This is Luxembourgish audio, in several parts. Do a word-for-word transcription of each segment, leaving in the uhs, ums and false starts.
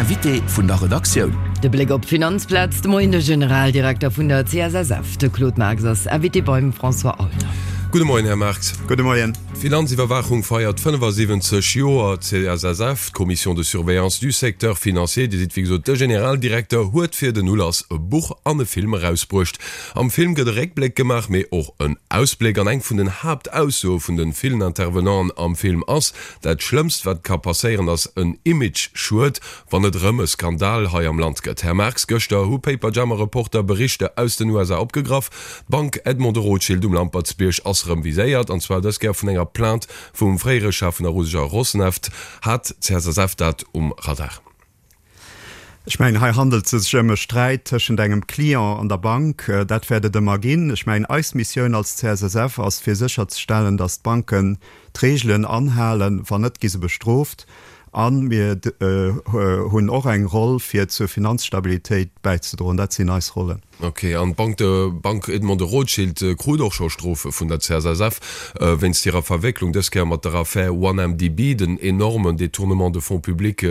Invité vun der Redaktioun. De Bléck op d'Finanzplaz de Moien, De Generaldirekter vun der C S S F, de Claude Marx, ass Invité beim François Aulner. Gudde Moien, Här Marx. Gudde Moien. D'Finanziwwerwaachung feiert fënnefasiwwenzeg Joer. D'C S S F, d'Commission de surveillance du secteur financier, Dir sidd wéi gesot de Generaldirekter, huet fir den Ulass e Buch an e Film erausbruecht. Am Film gëtt e Réckbléck gemaach, mee och en Ausbléck. An eng vun den Haaptaussoe vun de villen Intervenanten am Film ass, Dat Schlëmmst wat ka passéieren ass en Image-Schued, wann et erëm e Skandal hei am Land gëtt. Här Marx, gëschter hu Paperjammer-Reporter Berichter aus den U S A opgegraff. D'Bank Edmond de Rothschild um Lampertsbierg ass erëm viséiert, an zwar dës Kéier vun enger Plainte vum fréiere Chef vun der russescher Rosneft. Hat d'C S S F dat um Radar? Ech mengen, hei handelt et sech ëm e Sträit tëschent engem Client an der Bank. Dat wäert et ëmmer ginn. Ech mengen, eis Missioun als C S S F ass, fir sécherzestellen, datt d'Banken d'Reegelen anhalen. Wann net, gi se bestrooft. A mir hunn och eng Roll, fir zur Finanzstabilitéit bäizedroen. Dat sinn eis Rollen. Ok, an d'Bank de Bank Edmond de Rothschild krut och scho Strofe vun der C S S F wéinst hirer Verwécklung dës Kéier mat der Affär one M D B, den enormen Détournement de fonds publics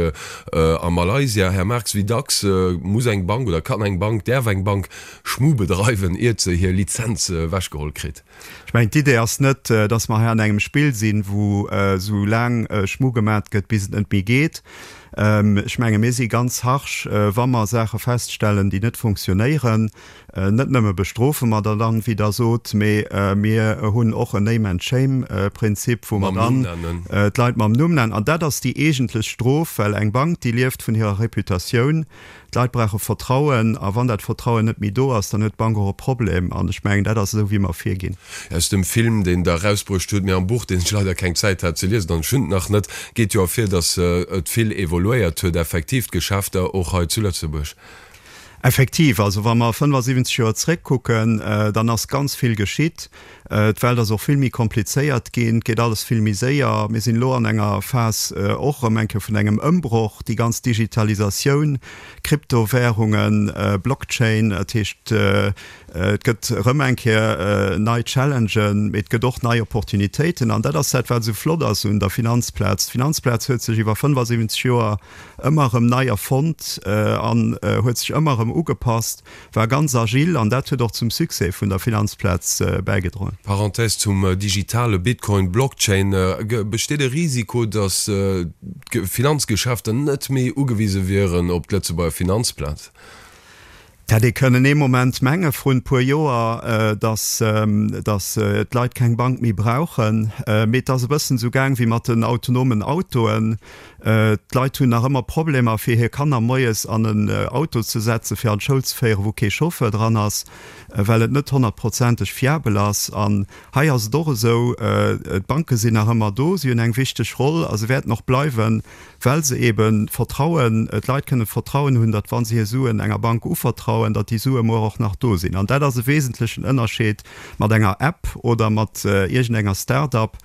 a Malaysia. Här Marx, wéi dacks muss eng Bank oder kann eng Bank, däerf eng Bank Schmu bedreiwen, iert se hir Lizenz ewechgeholl kritt? Ech mengen, d'Idee ass net, datt mer hei an engem Spill sinn, wou esou laang Schmu gemat gëtt, bis et net méi geet. Ech menge mir si ganz harsch, wa mer Saache feststellen, déi net funktionéieren. Net nëmme bestrofe mer der dann, wéi Der sot, mee mir hunn och en Name-and-Shame-Prinzip, wou mer dann d'Leit mam Numm nennen. An dat ass déi eegentlech Strof, well eng Bank, déi lieft vun hirer Reputatioun. D'Leit brauche Vertrauen, a wann dat Vertrauen net méi do ass, dann huet d'Bank och e Problem. An ech mengen, dat ass esou, wéi mer virginn. Aus dem Film, deen Der erausbruecht hutt, mee am Buch, deen ech leider keng Zäit hat ze liesen, an ech hunn et nach net, geet jo ervir, datt et vill evoluéiert huet, effektiv d'Geschäfter och hei zu Lëtzebuerg. Effektiv, also wa mer fënnefasiwwenzeg Joer zréckkucken, dann ass ganz vill geschitt. D'Welt ass och vill méi komplizéiert ginn, et geet alles vill méi séier. Mir sinn elo an enger Phas och erëm eng Kéier vun engem Ëmbroch, déi ganz Digitalisatioun, Kryptowährungen, Blockchain, dat heescht et gëtt erëm eng Kéier nei Challengen, mee et gëtt och nei Opportunitéiten. An dat ass dat, wat esou flott ass un der Finanzplaz. D'Finanzplaz huet sech iwwer fënnefasiwwenzeg Joer ëmmer erëm nei erfonnt an huet sech ëmmer erëm ugepasst, war ganz agil an dat huet och zum Succès vun der Finanzplaz bäigedroen. Parenthèse zum digitale Bitcoin, Blockchain, Besteet e Risiko, datt d'Finanzgeschäfter net méi ugewise wieren op d'Lëtzebuerger Finanzplaz? Dat hätt ee kënnen ee Moment menge vrun e puer Joer, datt datt d'Leit keng Bank méi brauchen. Mee et ass e bëssen esou gaang wéi mat den autonomen Autoen. D'Leit hunn nach ëmmer Problemer fir hir Kanner moies an en Auto ze setzen, fir an d'Schoul ze féieren, wou kee Chauffeur dran ass, well et net honnertprozenteg fiabel ass. An hei ass et och esou, d'Banke sinn nach ëmmer do, si hunn eng wichteg Roll a se wäerten och bleiwen, well se eben Vertrauen, d'Leit kënnen Vertrauen hunn, datt wa se hir Suen enger Bank uvertrauen, datt déi Sue muer och nach do sinn. An dat ass e wesentlechen Ënnerscheed mat enger App oder mat iergendenger Start-up.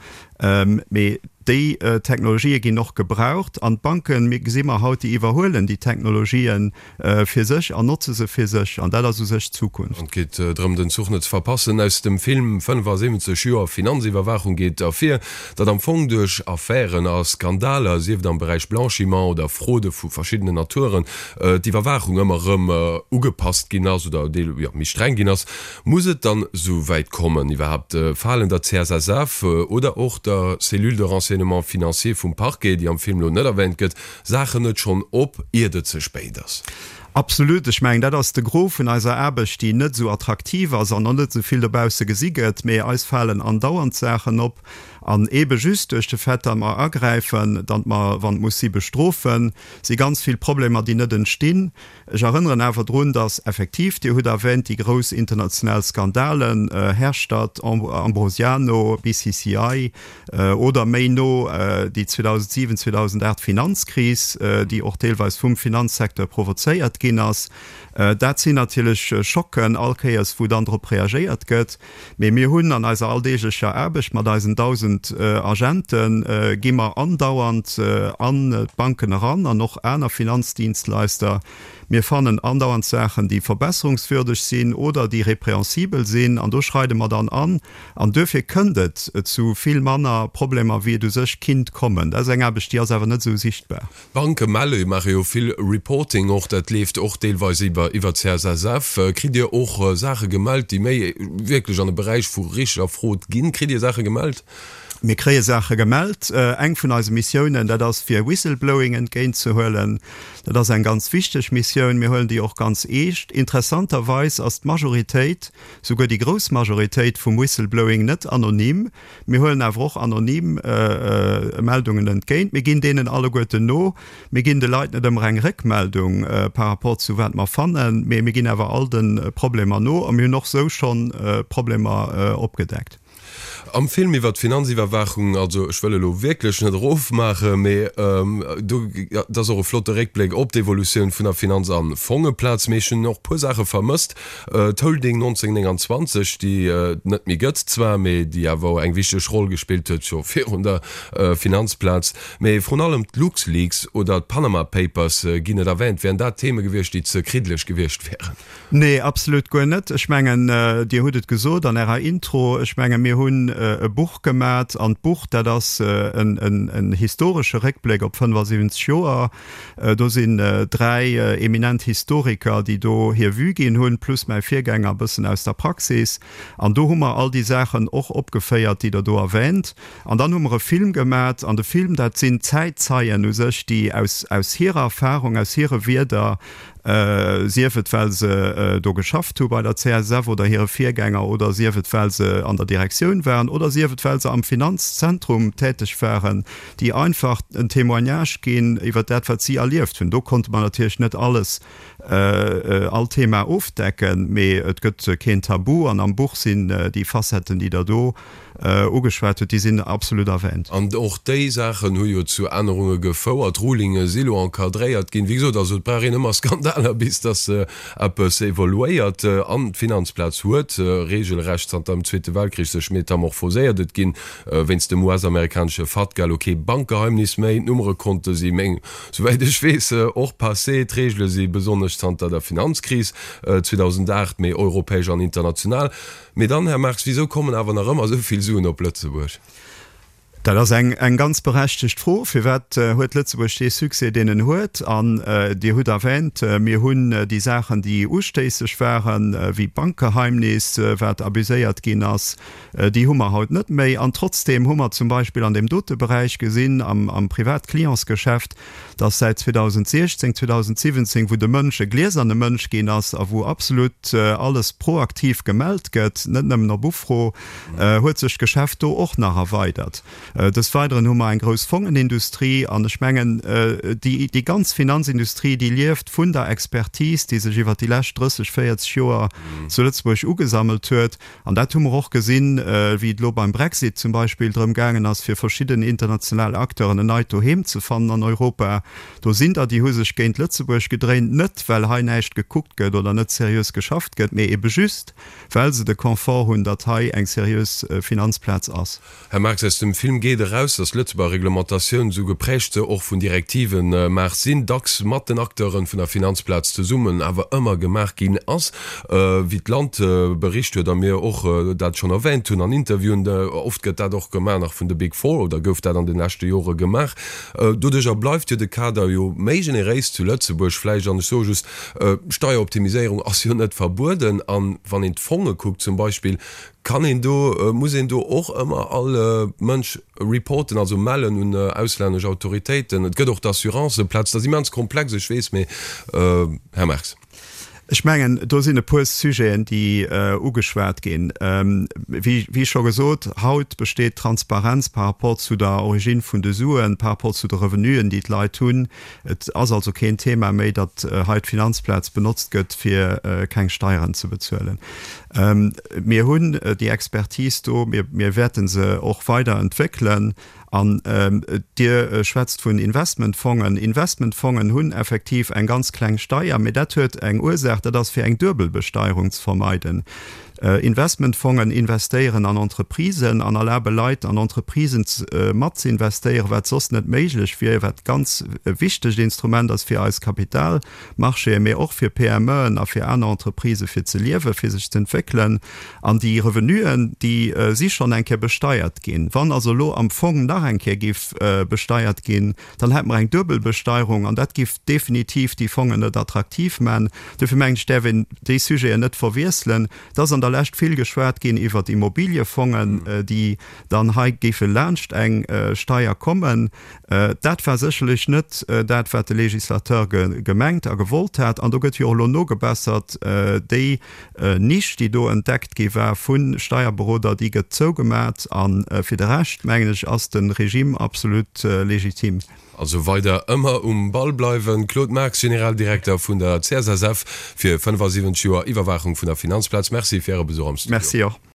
Mee déi Technologië ginn och gebraucht an d'Banken, mir gesi mer haut, déi iwwerhuelen déi Technologien fir sech an notze se fir sech an dat ass u sech d'Zukunft. An et geet drëm, den Zuch net ze verpassen. Aus dem Film fënnefasiwwenzeg Joer Finanziwwerwaachung geet ervir, datt am Fong duerch Affären a Skandaler, sief et am Beräich Blanchiment oder Fraude vu verschiddenen Naturen, d'Iwwerwaachung ëmmer erëm ugepasst ginn ass oder deel, jo, méi streng ginn ass. Muss et dann esou wäit kommen iwwerhaapt? Falen der C S S F oder och der Cellule de renseignement financier vum Parquet, déi am Film elo net erwähnt gëtt, Saachen net schonn op, iert et ze spéit ass? Absolut. Ech mengen, dat ass de Gros vun eiser Aarbecht, déi net esou attraktiv ass an och net esou vill dobausse gesi gëtt. Mee eis falen andauernd Saachen op. An eebe just duerch de Fait, datt mer agräifen, datt mer, wann et muss si, bestrofen, si ganz vill Problemer, déi net entstinn. Ech erënneren awer drun, datt effektiv, Dir hutt erwähnt, déi grouss international Skandalen, Herstatt, Ambrosiano, B C C I, oder méi no déi zweedausendsiwen, zweedausendaacht Finanzkris, déi och deelweis vum Finanzsecteur provozéiert ginn ass. Dat sinn natierlech Schocken all Kéiers, wou dann drop reagéiert gëtt. Mee mir hunn an eiser alldeeglecher Aarbecht mat eisen dausend Agente gi mer andauernd an d'Banken eran an och aner Finanzdienstleister. Mir fannen andauernd Saachen, déi verbesserungswürdeg sinn oder déi répréhensibel sinn, an do schreide mer dann an. An duerfir kënnt et zu vill manner Problemer, wéi et u sech kinnt kommen. Dat ass eng Aarbecht, déi ass awer net esou sichtbar. D'Banke melle, maache jo vill Reporting och, dat leeft och deelweis iwwer iwwer d'CSSF. Kritt Dir och Saache gemellt, déi méi wierklech an de Beräich vu richteger Frod ginn? Kritt Dir Saache gemellt? Mir kréie Saache gemellt. Eng vun eise Missiounen, dat ass fir Whistleblowing entgéintzehuelen. Dat ass eng ganz wichteg Missioun. Mir huelen déi och ganz eescht. Interessanterweis ass d'Majoritéit, souguer déi grouss Majoritéit vum Whistleblowing net anonym. Mir huelen awer och anonym Meldungen entgéint. Mir ginn deenen alleguerten no. Mir ginn de Leit net ëmmer eng Réckmeldung par rapport zu wat mer fannen, mee mir ginn awer all de Problemer no a mir hunn och sou schonn Problemer opgedeckt. Am Film iwwer d'Finanziwwerwaachung, also ech wëll elo wierklech net erofmaachen, mee do, dat ass och e flotte Réckbléck op d'Evolutioun vun der Finanz a Fongeplaz, mee ech hunn och e puer Saache vermësst. D'Holding neunzehnhundertneunundzwanzeg, déi et net méi gëtt zwar, mee déi awer eng wichteg Roll gespillt huet scho virun der Finanzplaz, mee vrun allem d'LuxLeaks oder d'Panama Papers ginn net erwähnt. Wären dat Theme gewiescht, déi ze kriddeleg gewiescht wären? Nee, absolut guer net. Ech mengen, Dir hutt et gesot an Ärer Intro, ech menge mir hunn e Buch gemat an d'Buch, dat ass en historesche Réckbléck op fënnefasiwwenzeg Joer. Do sinn dräi eminent Historiker, déi do hir Vue ginn hunn, plus mäi Virgänger e bëssen aus der Praxis. An do hu mer all déi Saachen och opgeféiert, déi Der do erwähnt. An dann hu mer e Film gemat an de Film, dat sinn Zäitzeien u sech, déi aus hirer Erfahrung, aus hire Wierder, sief et well se do geschafft hu bei der C S F oder hire Virgänger oder sief et well se an der Direktioun waren oder sief et well se am Finanzzentrum täteg waren, déi einfach en Témoignage ginn iwwer dat wat si erlieft hunn. Do konnte mer natierlech net alles, all Thema ofdecken, mee et gëtt keen Tabu an am Buch sinn déi Facetten, déi Der do ugeschwat hutt, déi sinn absolut erwähnt. An och déi Saachen hu jo zu Ännerunge gefouert. D'Rulinge si lo encadréiert ginn. Wéi gesot, also et brauch een ëmmer Skandaler, bis datt eppes evoluéiert. An d'Finanzplaz huet regelrecht zanter dem Zweete Weltkrich sech metamorphoséiert. Et ginn wéinst dem U S-amerikanesche FATCA lo kee Bankgeheimnis méi. D'Nummerekonte si meng, souwäit ech weess, och passé. D'Regele si besonnesch zanter der Finanzkris zweedausendacht méi europäesch an international. Mee dann, Här Marx, wisou kommen awer nach ëmmer esou vill Suen op Lëtzebuerg? Dat ass eng eng ganz berechtegt Fro. Firwat huet Lëtzebuerg dee Succès, deen en huet? An Dir hutt erwähnt, mir hunn déi Saachen, déi ustéisseg waren, wéi d'Bankgeheimnis, wat abuséiert ginn ass, déi hu mer haut net méi. An trotzdeem hu mer zum Beispill an deem dote Beräich gesinn, am am Privatclientsgeschäft, dass säit zweedausendsechzéng, zweedausensiwwenzéng, wou de Mënsch e glieserne Mënsch ginn ass a wou absolut alles proaktiv gemellt gëtt, net nëmmen op Ufro, huet sech d'Geschäft do och nach erweidert. Des Weideren hu mer eng grouss Fongenindustrie an ech mengen, déi, déi ganz Finanzindustrie, déi lieft vun der Expertise, déi sech iwwert déi lescht drësseg, véierzeg Joer zu Lëtzebuerg ugesammelt huet. An dat hu mer och gesinn, wéi et elo beim Brexit zum Beispill drëm gaangen ass, fir verschidden international Acteuren en neit Doheem ze fannen an Europa. Do sinn der, déi hu sech géint Lëtzebuerg gedréint, net well hei näischt gekuckt gëtt oder net seriös geschafft gëtt, mee ebe just, well se de Confort hunn, datt hei eng seriös Finanzplaz ass. Här Marx, aus dem Film geet eraus, datt d'Lëtzebuerger Reglementatioun, esou geprägt se och vun Direktiven mag sinn, dacks mat den Acteure vun der Finanzplaz zesummen awer ëmmer gemaach ginn ass. Wéi d'Land bericht huet a mir och dat schonn erwähnt hunn an Interviewen, oft gëtt dat och gemaach nach vun de Big Four oder gouf dat an de leschte Jore gemaach. Doduercher bleift jo de Kader jo méi generéis zu Lëtzebuerg vläicht. An ech soe just, Steieroptimiséierung ass jo net verbueden. An wann een d'Fonge kuckt zum Beispill, kann een do, muss een do och ëmmer all Mënsch reporten, also mellen un auslännesch Autoritéiten? Et gëtt och d'Assurancëplaz. Dat ass immens komplex, ech weess, mee Här Marx. Ech mengen, do sinn e puer Sujeten, déi ugeschwat ginn. Wéi scho gesot, haut besteet Transparenz par rapport zu der Origine vun de Suen, par rapport zu de Revenuen, déi d'Leit hunn. Et ass also keen Thema méi, datt hei d'Finanzplaz benotzt gëtt, fir keng Steieren ze bezuelen. Mir hunn déi Expertise do, mir wäerte se och weider entwéckelen. An Dir schwätzt vun Investmentfongen. Investmentfongen hunn effektiv eng ganz kleng Steier, mee dat huet eng Ursaach, dat ass fir eng Duebelbesteierung ze vermeiden. Investmentfongen investéieren an Entreprisen an erlabe Leit an Entreprisen mat ze investéieren, wat soss net méiglech wier, wat ganz e wichtegt Instrument ass fir eis Kapitalmarchéen, mee och fir PMEen a fir aner Entreprisë fir ze liewen, fir sech ze entwéckelen. An déi Revenuen, déi si schonn eng Kéier besteiert ginn. Wann also elo am Fong nach eng Kéier giff besteiert ginn, dann hätte mer eng Duebelbesteierung an dat giff definitiv déi Fongen net attraktiv man. Dofir mengen ech, däerf een déi Sujeten net verwiesselen. Et ass an der Lescht vill geschwat ginn iwwert Immobiliefongen, déi dann hei géife laanscht eng Steier kommen. Dat war sécherlech net dat, wat de Législateur gemengt a gewollt hat. An do gëtt jo och elo nogebessert. Déi Nisch, déi do entdeckt gi war vu Steierberoder, déi gëtt zougemat. A fir de Rescht, mengen ech, ass de Regime absolut legitim. Also weider ëmmer um Ball bleiwen. Claude Marx, Generaldirekter vun der C S S F, fir fënnefasiwwenzeg Joer Iwwerwaachung vun der Finanzplaz. Merci fir Äre Besuch am Studio. Merci och.